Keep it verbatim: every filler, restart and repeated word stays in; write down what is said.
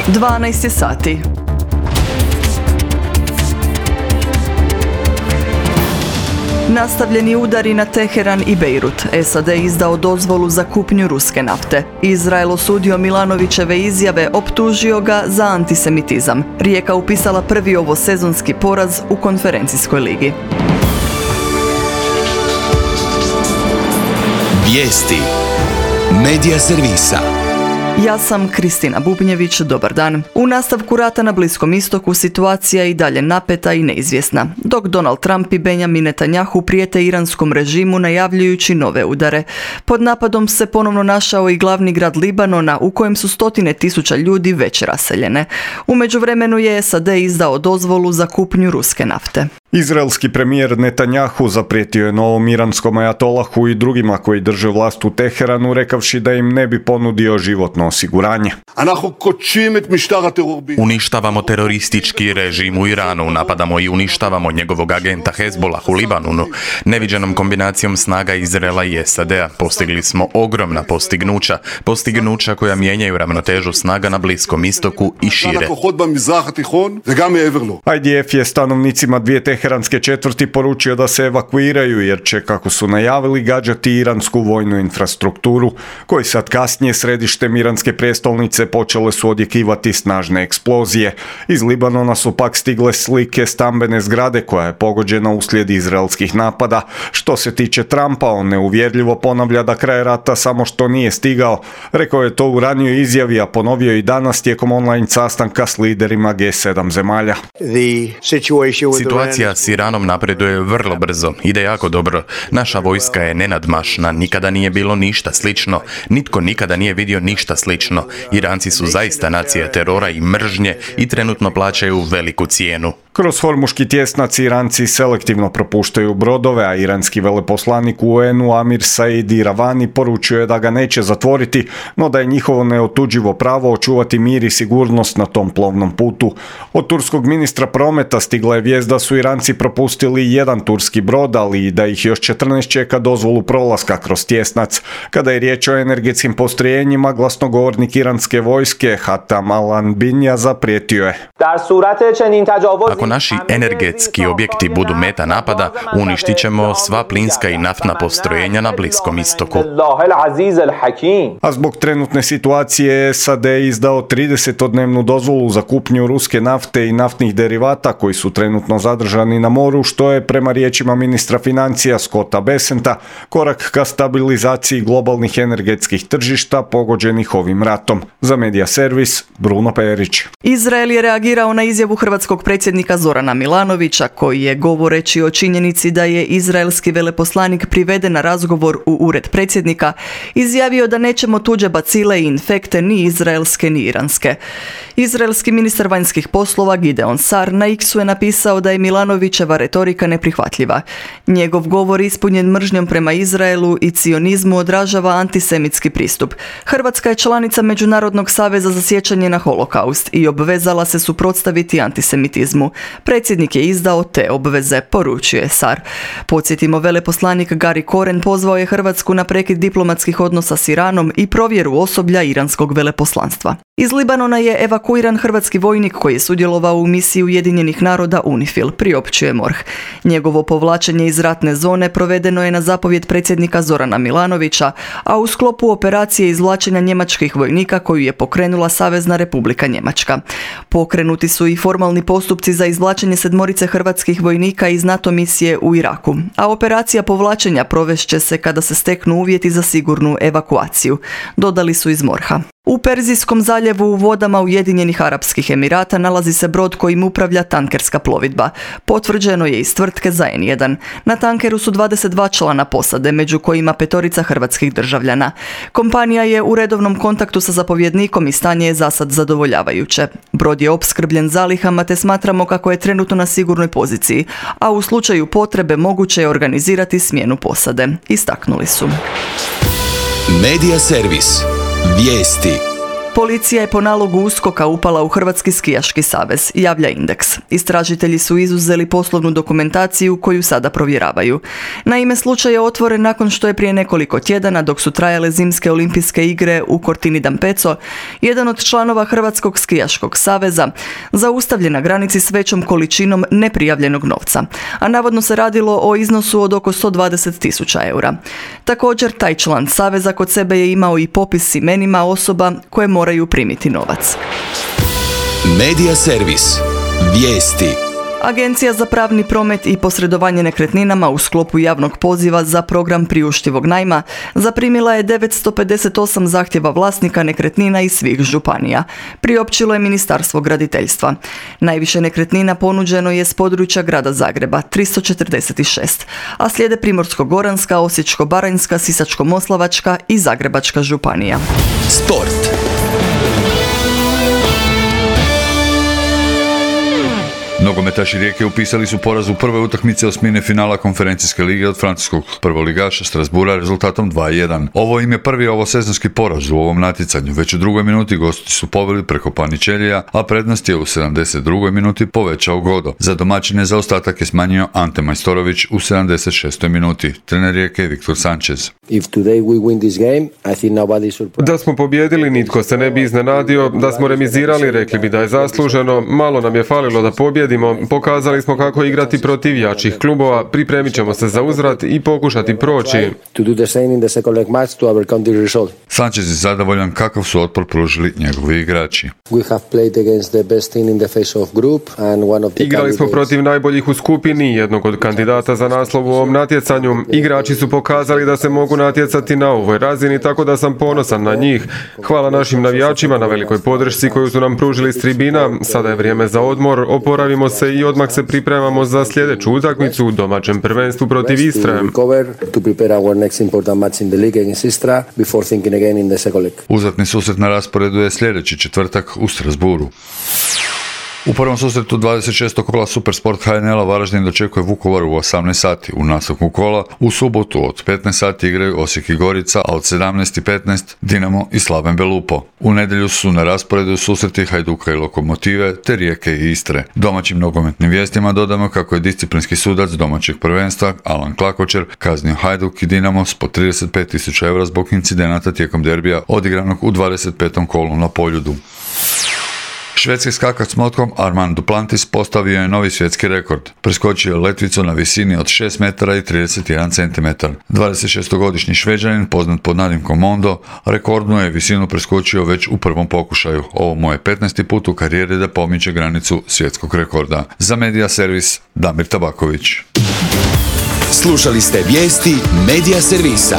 dvanaest je sati. Nastavljeni udari na Teheran i Bejrut. S A D izdao dozvolu za kupnju ruske nafte. Izrael osudio Milanovićeve izjave, optužio ga za antisemitizam. Rijeka upisala prvi ovosezonski poraz u konferencijskoj ligi. Vijesti Medija servisa. Ja sam Kristina Bubnjević, dobar dan. U nastavku rata na Bliskom istoku situacija je i dalje napeta i neizvjesna, dok Donald Trump i Benjamin Netanjahu prijete iranskom režimu najavljujući nove udare. Pod napadom se ponovno našao i glavni grad Libanona u kojem su stotine tisuća ljudi već raseljene. U međuvremenu je S A D izdao dozvolu za kupnju ruske nafte. Izraelski premijer Netanjahu zaprijetio je novom iranskom ajatolahu i drugima koji drže vlast u Teheranu, rekavši da im ne bi ponudio životno osiguranje. Uništavamo teroristički režim u Iranu, napadamo i uništavamo njegovog agenta Hezbollah u Libanonu. Neviđenom kombinacijom snaga Izraela i S A D-a postigli smo ogromna postignuća, postignuća koja mijenjaju ravnotežu snaga na Bliskom istoku i šire. I D F je stanovnicima dvije teheranske četvrti poručio da se evakuiraju jer će, kako su najavili, gađati iransku vojnu infrastrukturu, koji sad kasnije središtem iranske prijestolnice počele su odjekivati snažne eksplozije. Iz Libanona su pak stigle slike stambene zgrade koja je pogođena uslijed izraelskih napada. Što se tiče Trumpa, on neuvjerljivo ponavlja da kraj rata samo što nije stigao. Rekao je to u ranijoj izjavi, a ponovio i danas tijekom online sastanka s liderima G sedam zemalja. Situacija s Iranom napreduje vrlo brzo, ide jako dobro. Naša vojska je nenadmašna, nikada nije bilo ništa slično, nitko nikada nije vidio ništa slično. Iranci su zaista nacija terora i mržnje i trenutno plaćaju veliku cijenu. Kroz Hormuški tjesnac Iranci selektivno propuštaju brodove, a iranski veleposlanik u U N-u Amir Said Iravani poručio je da ga neće zatvoriti, no da je njihovo neotuđivo pravo očuvati mir i sigurnost na tom plovnom putu. Od turskog ministra prometa stigla je vijest da su Iranci propustili jedan turski brod, ali i da ih još četrnaest čeka dozvolu prolaska kroz tjesnac. Kada je riječ o energetskim postrojenjima, glasnogovornik iranske vojske Hatam Al-Anbinja zaprijetio je: Ako naši energetski objekti budu meta napada, uništit ćemo sva plinska i naftna postrojenja na Bliskom istoku. A zbog trenutne situacije S A D izdao tridesetodnevnu dozvolu za kupnju ruske nafte i naftnih derivata koji su trenutno zadržani na moru, što je prema riječima ministra financija Scotta Bessenta korak ka stabilizaciji globalnih energetskih tržišta pogođenih ovim ratom. Za Medija servis, Bruno Perić. Izrael je reagirao na izjavu hrvatskog predsjednika Zorana Milanovića, koji je, govoreći o činjenici da je izraelski veleposlanik priveden na razgovor u ured predsjednika, izjavio da nećemo tuđe bacile i infekte ni izraelske ni iranske. Izraelski ministar vanjskih poslova Gideon Sar na X-u je napisao da je Milanovićeva retorika neprihvatljiva. Njegov govor ispunjen mržnjom prema Izraelu i cionizmu odražava antisemitski pristup. Hrvatska je članica Međunarodnog saveza za sjećanje na holokaust i obvezala se suprotstaviti antisemitizmu. Predsjednik je izdao te obveze, poručuje Sar. Podsjetimo, veleposlanik Gary Koren pozvao je Hrvatsku na prekid diplomatskih odnosa s Iranom i provjeru osoblja iranskog veleposlanstva. Iz Libanona je evakuiran hrvatski vojnik koji je sudjelovao u misiji Ujedinjenih naroda UNIFIL, priopćuje MORH. Njegovo povlačenje iz ratne zone provedeno je na zapovjed predsjednika Zorana Milanovića, a u sklopu operacije izvlačenja njemačkih vojnika koju je pokrenula Savezna Republika Njemačka. Pokrenuti su i formalni postupci za izvlačenje sedmorice hrvatskih vojnika iz NATO misije u Iraku, a operacija povlačenja provešće se kada se steknu uvjeti za sigurnu evakuaciju, dodali su iz MORH-a. U Perzijskom zaljevu u vodama Ujedinjenih Arapskih Emirata nalazi se brod kojim upravlja tankerska plovidba. Potvrđeno je iz tvrtke za N jedan. Na tankeru su dvadeset dva člana posade, među kojima petorica hrvatskih državljana. Kompanija je u redovnom kontaktu sa zapovjednikom i stanje je zasad zadovoljavajuće. Brod je opskrbljen zalihama te smatramo kako je trenutno na sigurnoj poziciji, a u slučaju potrebe moguće je organizirati smjenu posade, istaknuli su. Medija servis. Vijesti. Policija je po nalogu USKOK-a upala u Hrvatski skijaški savez, javlja Indeks. Istražitelji su izuzeli poslovnu dokumentaciju koju sada provjeravaju. Naime, slučaj je otvoren nakon što je prije nekoliko tjedana, dok su trajale zimske olimpijske igre u Cortini d'Ampezzo, jedan od članova Hrvatskog skijaškog saveza zaustavljen na granici s većom količinom neprijavljenog novca, a navodno se radilo o iznosu od oko sto dvadeset tisuća eura. Također, taj član saveza kod sebe je imao i popis s imenima osoba koje moraju primiti novac. Medija servis. Vijesti. Agencija za pravni promet i posredovanje nekretninama u sklopu javnog poziva za program priuštivog najma zaprimila je devetsto pedeset osam zahtjeva vlasnika nekretnina iz svih županija. Priopćilo je Ministarstvo graditeljstva. Najviše nekretnina ponuđeno je s područja grada Zagreba, tristo četrdeset šest, a slijede Primorsko-goranska, Osječko-baranjska, Sisačko-moslavačka i Zagrebačka županija. Sport. Nogometaši Rijeke upisali su poraz u prve utakmice osmine finala konferencijske lige od francuskog prvoligaša Strasbourga rezultatom dva jedan. Ovo im je prvi ovosezonski poraz u ovom natjecanju. Već u drugoj minuti gosti su poveli preko Paničelija, a prednost je u sedamdeset drugoj minuti povećao Godo. Za domaćine zaostatak je smanjio Ante Majstorović u sedamdeset šestoj minuti. Trener Rijeke Viktor Sanchez. Da smo pobijedili, nitko se ne bi iznenadio. Da smo remizirali, rekli bi da je zasluženo. Malo nam je falilo da pobjedimo. Pokazali smo kako igrati protiv jačih klubova, pripremit ćemo se za uzvrat i pokušati proći. Sanchez je zadovoljan kakav su otpor pružili njegovi igrači. Igrali smo protiv najboljih u skupini, jednog od kandidata za naslov u ovom natjecanju. Igrači su pokazali da se mogu natjecati na ovoj razini, tako da sam ponosan na njih. Hvala našim navijačima na velikoj podršci koju su nam pružili s tribina. Sada je vrijeme za odmor, oporavimo se i odmah se pripremamo za sljedeću utakmicu u domaćem prvenstvu protiv Istre. Uzvratni susret na rasporedu je sljedeći četvrtak u Strasbourgu. U prvom susretu dvadeset šestog kola Supersport H N L-a Varaždin dočekuje Vukovar u osamnaest sati. U nastavku kola u subotu od petnaest sati igraju Osijek i Gorica, a od sedamnaest i petnaest Dinamo i Slaven Belupo. U nedjelju su na rasporedu susreti Hajduka i Lokomotive te Rijeke i Istre. Domaćim nogometnim vijestima dodamo kako je disciplinski sudac domaćeg prvenstva Alan Klakočer kaznio Hajduk i Dinamo s po trideset pet tisuća eura zbog incidenata tijekom derbija odigranog u dvadeset petom kolu na Poljudu. Švedski skakač s motkom Armand Duplantis postavio je novi svjetski rekord. Preskočio je letvicu na visini od šest metara i trideset jedan centimetar. dvadesetšestogodišnji Šveđanin, poznat pod nadimkom Mondo, rekordnu je visinu preskočio već u prvom pokušaju. Ovo mu je petnaesti put u karijeri da pomiče granicu svjetskog rekorda. Za Medija servis Damir Tabaković. Slušali ste vijesti Medija servisa.